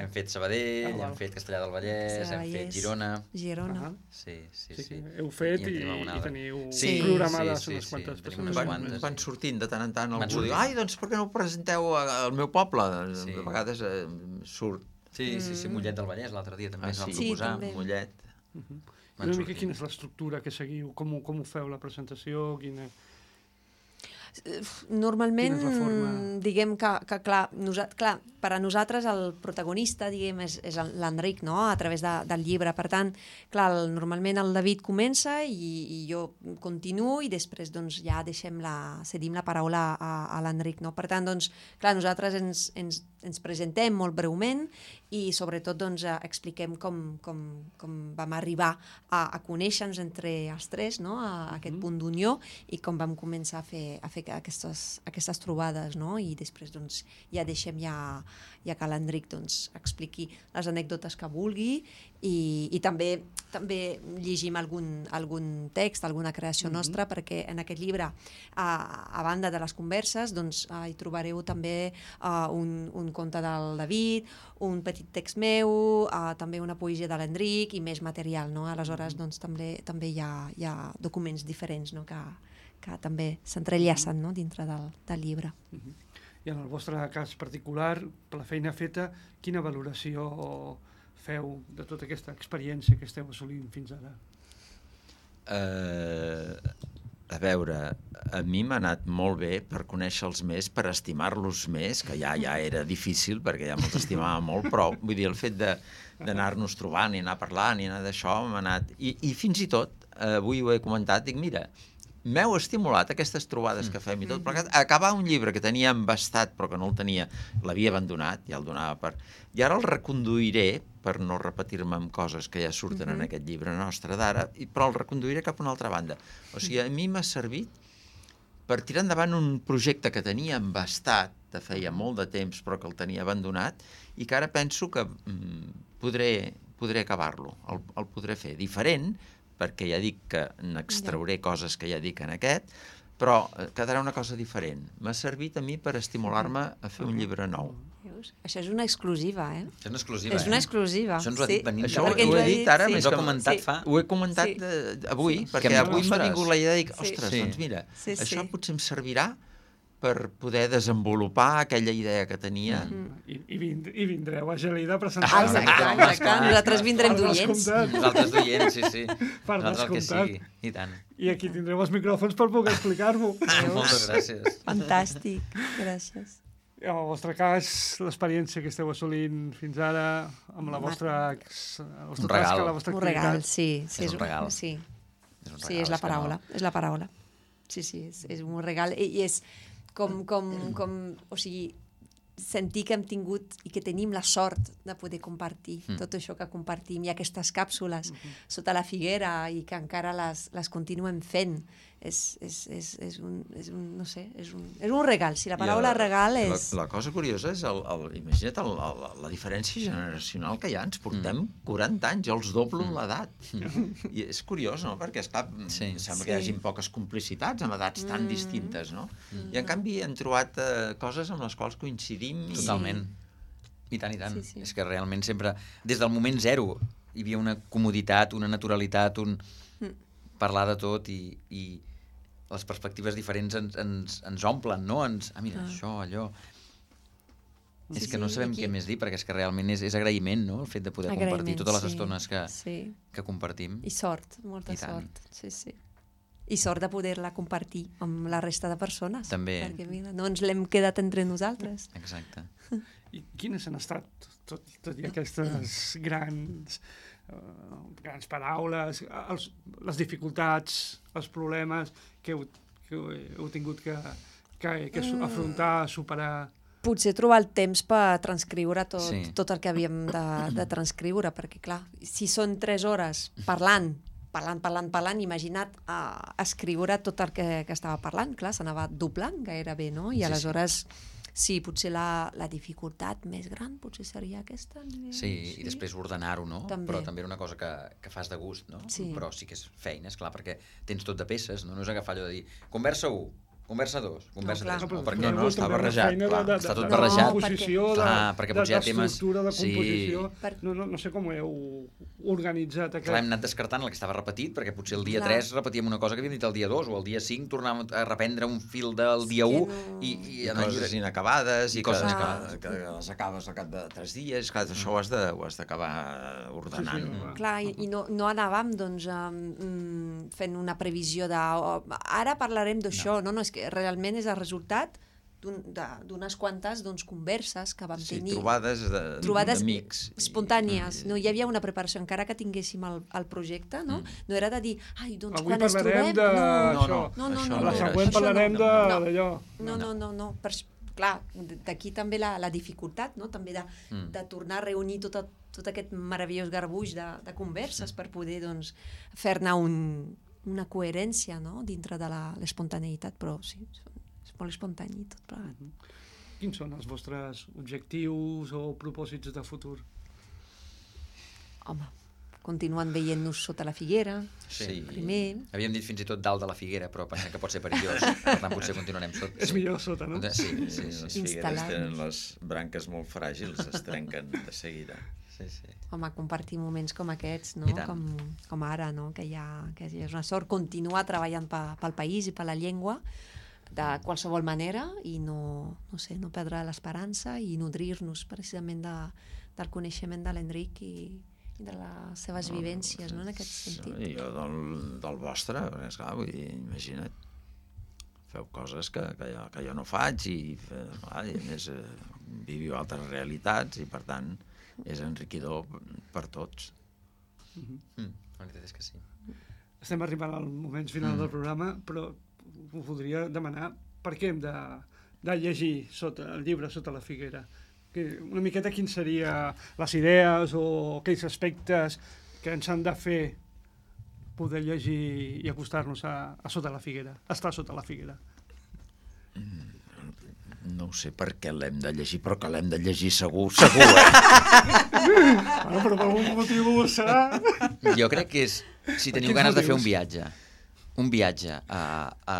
Hem fet Sabadell, Ah, val. hem fet Castellà del Vallès, hem Vallès. fet Girona. Girona. Ah, Sí, sí, sí, sí. que heu fet en i, tenim alguna i altra. teniu Sí, programades sí, sí, unes sí, quantes tenim unes presentacions. Van, quantes. van sortint de tant en tant Van algú diu, sortint. ai, doncs per què no ho presenteu a- al meu poble? Sí. A vegades eh, surt. Sí, sí, sí, Mollet del Vallès, l'altre dia també Ah, ens vam sí, Sí, proposar. també. Mollet. I Van una mica sortint. quina és l'estructura que seguiu? Com, ho- com ho feu, la presentació? Quina... Normalment, Quina és la forma? diguem que, que clar, nosa, clar, per a nosaltres el protagonista, diguem, és, és el- l'Enric, no?, a través de, del llibre. Per tant, clar, el, normalment el David comença i, i jo continuo i després doncs, ja deixem la, cedim la paraula a, a l'Enric, no? Per tant, doncs, clar, nosaltres ens, ens, ens presentem molt breument i sobretot doncs, eh, expliquem com, com, com vam arribar a, a conèixer-nos entre els tres, no?, a, a aquest punt d'unió i com vam començar a fer, a fer aquestes, aquestes trobades, no?, i després doncs, ja deixem ja, ja que l'Enric doncs, expliqui les anècdotes que vulgui i, i també també llegim algun, algun text, alguna creació Mhm. nostra, perquè en aquest llibre, a, a banda de les converses, doncs, eh, hi trobareu també uh, un, un conte del David, un petit text meu, uh, també una poesia de l'Enric i més material, no? Aleshores, doncs, també, també hi, ha, hi ha documents diferents, no?, que, que també s'entrellacen, no?, dintre del, del llibre. I en el vostre cas particular, per la feina feta, quina valoració feu de tota aquesta experiència que esteu assolint fins ara? Eh, a veure, a mi m'ha anat molt bé per conèixer-los més, per estimar-los més, que ja ja era difícil perquè ja me'ls estimava molt, però vull dir, el fet de d'anar-nos trobant i anar parlant i anar d'això m'ha anat... I, I fins i tot, eh, avui ho he comentat, dic, mira, m'heu estimulat aquestes trobades que fem i tot, perquè acabar un llibre que tenia embastat però que no el tenia, l'havia abandonat, ja el donava per... I ara el reconduiré, per no repetir-me amb coses que ja surten en aquest llibre nostre d'ara, i- però el reconduiré cap a una altra banda. O sigui, a mi m'ha servit per tirar endavant un projecte que tenia embastat de feia molt de temps però que el tenia abandonat i que ara penso que mm, podré, podré acabar-lo, el, el podré fer diferent, perquè ja dic que n'extrauré coses que ja dic en aquest, però eh, quedarà una cosa diferent. M'ha servit a mi per estimular-me a fer un llibre nou. Veus? Això és una exclusiva, eh? Això és una exclusiva, És una eh? exclusiva. Això ens ho ha dit venint Això de ho, perquè ho ens he ha dit dit, ara, sí. més Ens ho que ha comentat Sí. fa... ho he comentat Sí. de, avui, Sí. perquè Que em avui m'ha ostres. vingut la idea de dir, Sí. ostres, Sí. doncs mira, Sí, sí. això potser em servirà per poder desenvolupar aquella idea que tenia. I, i, vind, I vindreu a Gelida a Ah, presentar-lo. exacte, home, exacte. clar. Nosaltres vindrem Per d'oients. descomptat. Nosaltres d'oients, sí, sí. Per Nosaltres el que descomptat. sigui, i tant. I aquí tindreu els micròfons per poder explicar-vos. Moltes gràcies. Fantàstic, gràcies. En el vostre cas, l'experiència que esteu assolint fins ara, amb la Home. vostra, ex- la vostra Un regal. tasca, la vostra Un regal, activitat. sí. sí És un regal. Sí, És un sí, regal, és la que paraula, no- és la paraula. Sí, sí, és, és un regal i, i és com, com, com, o sigui, sentir que hem tingut i que tenim la sort de poder compartir mm. tot això que compartim i aquestes càpsules mm -hmm. sota la figuera i que encara les, les continuem fent. és, és, és, és, un, és un, no sé, és un, és un regal. Si la paraula regal és... La, la cosa curiosa és, el, el, imagina't, el, el, la diferència generacional que hi ha. Ens portem mm. quaranta anys, jo els doblo mm. l'edat. Mm. I és curiós, no?, perquè, esclar, sí. sembla sí. que hi hagi poques complicitats amb edats tan mm. distintes, no? Mm. I, en canvi, hem trobat eh, coses amb les quals coincidim. Totalment. I tant, i tant. Sí, sí. És que realment sempre, des del moment zero, hi havia una comoditat, una naturalitat, un mm. parlar de tot i... i les perspectives diferents ens, ens, ens omplen, no? Ens, ah, mira, ah. això, allò... Sí, és que no sabem aquí... què més dir, perquè és que realment és, és agraïment, no?, el fet de poder agraïment, compartir totes les sí, estones que, sí. que compartim. I sort, molta I sort. Sí, sí. I sort de poder-la compartir amb la resta de persones. També. Perquè, mira, no ens l'hem quedat entre nosaltres. Exacte. I quines han estat tot, tot i aquestes grans... Uh, grans paraules, els, les dificultats, els problemes que heu, que heu tingut que, que, que mm. afrontar, superar? Potser trobar el temps per transcriure tot, sí. tot el que havíem de, de transcriure, perquè clar, si són tres hores parlant, parlant, parlant, parlant, imagina't uh, escriure tot el que, que estava parlant, clar, s'anava doblant gairebé, no? I sí, aleshores... Sí. Sí, potser la, la dificultat més gran potser seria aquesta. Sí, sí. I després ordenar-ho, no? També. Però també era una cosa que, que fas de gust, no? Sí. Però sí que és feina, és clar, perquè tens tot de peces, no? No és agafar allò de dir, conversa u, conversa dos, conversa no, tres, no, no, perquè no, està barrejat, clar, de, de, està tot de, barrejat. De composició, de, clar, perquè potser hi ha temes... d'estructura, de composició, sí. no, no, no sé com ho heu organitzat. Aquest... Clar, hem anat descartant el que estava repetit, perquè potser el dia tres repetíem una cosa que havíem dit el dia dos, o el dia cinc tornàvem a reprendre un fil del dia u, no... i, i, I coses llibre... inacabades, i coses que, inacabades. Que, que les acabes al cap de tres dies, clar, això ho has de, ho has d'acabar ordenant. Sí, sí, mm. Clar, i, i no, no anàvem doncs, um, fent una previsió de oh, ara parlarem d'això, no. no, no, és que realment és el resultat d'unes quantes doncs, converses que vam sí, tenir. Trobades d'amics. Espontànies. I... No hi havia una preparació, encara que tinguéssim el, el projecte, no? Mm. No era de dir, ai, doncs avui quan ens trobem... De... No, no, no, no, no, no, la no, següent parlarem no, d'allò. No, no, no, no. Per, clar, d'aquí també la, la dificultat, no? També de, mm. de tornar a reunir tot, tot aquest meravellós garbuix de, de converses mm. per poder doncs, fer-ne un, una coherència, no? Dintre de l'espontaneïtat, però sí, molt espontani tot plegat. Uh-huh. Quins són els vostres objectius o propòsits de futur? Home, continuant veient-nos sota la figuera, sí. primer... Havíem dit fins i tot dalt de la figuera, però pensem que pot ser perillós, per tant potser continuarem sota. És millor sota, no? Sí, sí, sí, sí. Les figueres tenen les branques molt fràgils, es trenquen de seguida. Sí, sí. Home, compartir moments com aquests, no? com, com ara, no? que, hi ha, que és una sort continuar treballant pa, pel país i per la llengua, de qualsevol manera i no, no, sé, no perdre l'esperança i nodrir-nos precisament de, del coneixement de l'Enric i, i de les seves no, vivències, no, en aquest sentit. I jo del, del vostre, perquè esclar, vull dir, imagina't, feu coses que, que, jo, que jo no faig i, clar, i a més eh, viviu altres realitats i per tant és enriquidor per tots. Mm-hmm. Mm, la veritat és que sí. Estem arribant al moment final mm. del programa, però ho voldria demanar per què hem de, de llegir sota, el llibre Sota la figuera. Que una miqueta quins serien les idees o aquells aspectes que ens han de fer poder llegir i acostar-nos a, a Sota la figuera, a estar sota la figuera. No sé per què l'hem de llegir, però que l'hem de llegir segur, segur, eh? Bueno, però per algun motiu serà... Jo crec que és, si teniu ganes de fer un viatge, un viatge a, a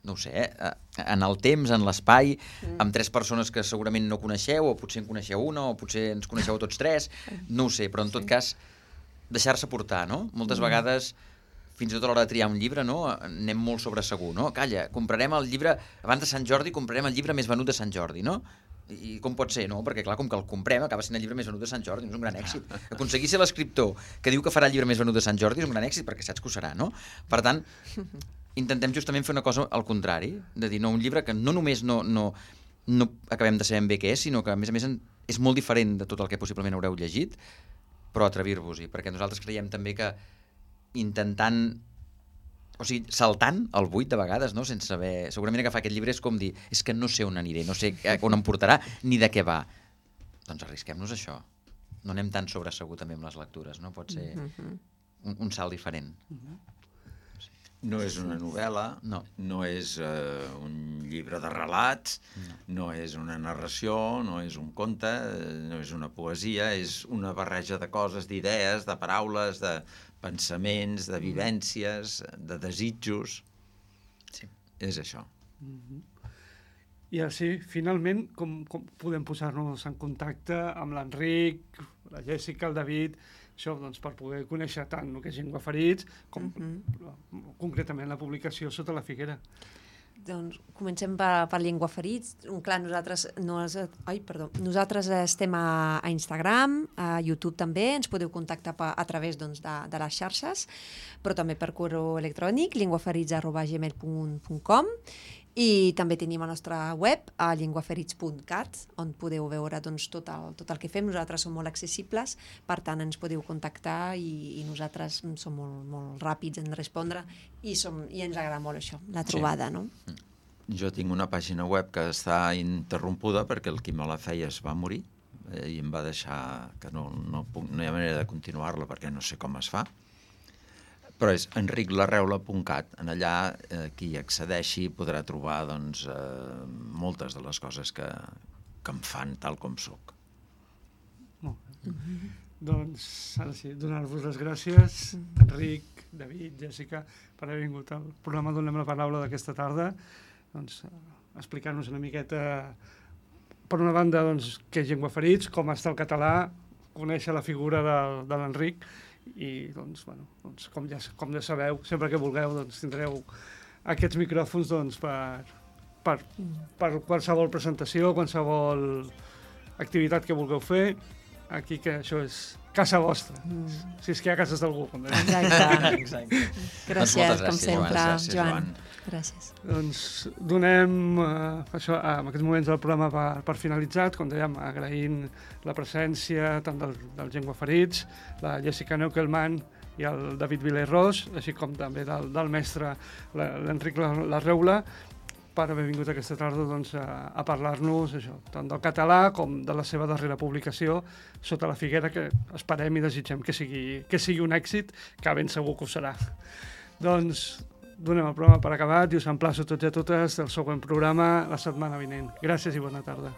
no ho sé, a, en el temps, en l'espai, mm. amb tres persones que segurament no coneixeu, o potser en coneixeu una, o potser ens coneixeu tots tres, no ho sé, però en tot sí. cas, deixar-se portar, no? Moltes mm. vegades, fins i tot a l'hora de triar un llibre, no? Anem molt sobre segur, no? Calla, comprarem el llibre, abans de Sant Jordi, comprarem el llibre més venut de Sant Jordi, no? I com pot ser, no? Perquè, clar, com que el comprem, acaba sent el llibre més venut de Sant Jordi, no és un gran èxit. Aconseguir ser l'escriptor que diu que farà el llibre més venut de Sant Jordi és un gran èxit, perquè saps que ho serà, no? Per tant, intentem justament fer una cosa al contrari, de dir, no, un llibre que no només no, no, no acabem de saber bé què és, sinó que, a més a més, és molt diferent de tot el que possiblement haureu llegit, però atrevir-vos-hi, perquè nosaltres creiem també que intentant, o sigui, saltant el buit de vegades, no? Sense saber... Segurament agafar aquest llibre és com dir, és que no sé on aniré, no sé on em portarà, ni de què va. Doncs arrisquem-nos això. No anem tan sobre segur també amb les lectures, no? Pot ser un, un salt diferent. Uh-huh. Sí. No és una novel·la, no, no és uh, un llibre de relats, no. no és una narració, no és un conte, no és una poesia, és una barreja de coses, d'idees, de paraules, de pensaments, de vivències, de desitjos. Sí. És això. Mm-hmm. I així, finalment, com, com podem posar-nos en contacte amb l'Enric, la Jèssica, el David, això doncs, per poder conèixer tant el que és Llengua Ferits, com mm-hmm. concretament la publicació Sota la figuera. Doncs comencem per, per Llengua Ferits. Clar, nosaltres, no, ai, perdó, nosaltres estem a, a Instagram, a YouTube també, ens podeu contactar pa, a través doncs, de, de les xarxes, però també per correu electrònic, llengüaferits arroba gmail punt com, i també tenim la nostra web, a llengüaferits punt cat, on podeu veure doncs, tot, el, tot el que fem. Nosaltres som molt accessibles, per tant ens podeu contactar i, i nosaltres som molt, molt ràpids en respondre i, som, i ens agrada molt això, la trobada. Sí. No? Jo tinc una pàgina web que està interrompuda perquè el qui me la feia es va morir eh, i em va deixar que no, no, puc, no hi ha manera de continuar-la perquè no sé com es fa. Però és enric larreula punt cat. En allà, eh, qui accedeixi podrà trobar doncs, eh, moltes de les coses que, que em fan tal com sóc. Molt bé. Mm-hmm. Doncs, ara sí, donar-vos les gràcies, Enric, David, Jèssica, per haver vingut al programa Donem la Paraula d'aquesta tarda. Doncs, explicar-nos una miqueta, per una banda, doncs, què és Llengua Ferits, com està el català, conèixer la figura de, de l'Enric, i doncs, bueno, doncs, com, ja, com ja sabeu, sempre que vulgueu doncs, tindreu aquests micròfons doncs, per, per, per qualsevol presentació, qualsevol activitat que vulgueu fer, aquí que això és casa vostra, mm. si és que hi ha cases d'algú. Exacte. Exacte. Gràcies, doncs com sempre, gràcies, Joan. Joan. Gràcies. Doncs donem uh, això, uh, en aquests moments del programa per, per finalitzat, com dèiem, agraint la presència tant del, del Llengua Ferits, la Jèssica Neukelman i el David Viler-Ros, així com també del, del mestre l'Enric Larreula, per haver vingut aquesta tarda doncs, a, a parlar-nos això, tant del català com de la seva darrera publicació, Sota la figuera, que esperem i desitgem que sigui, que sigui un èxit, que ben segur que ho serà. Doncs donem el programa per acabat i us emplaço tots i a totes del següent programa la setmana vinent. Gràcies i bona tarda.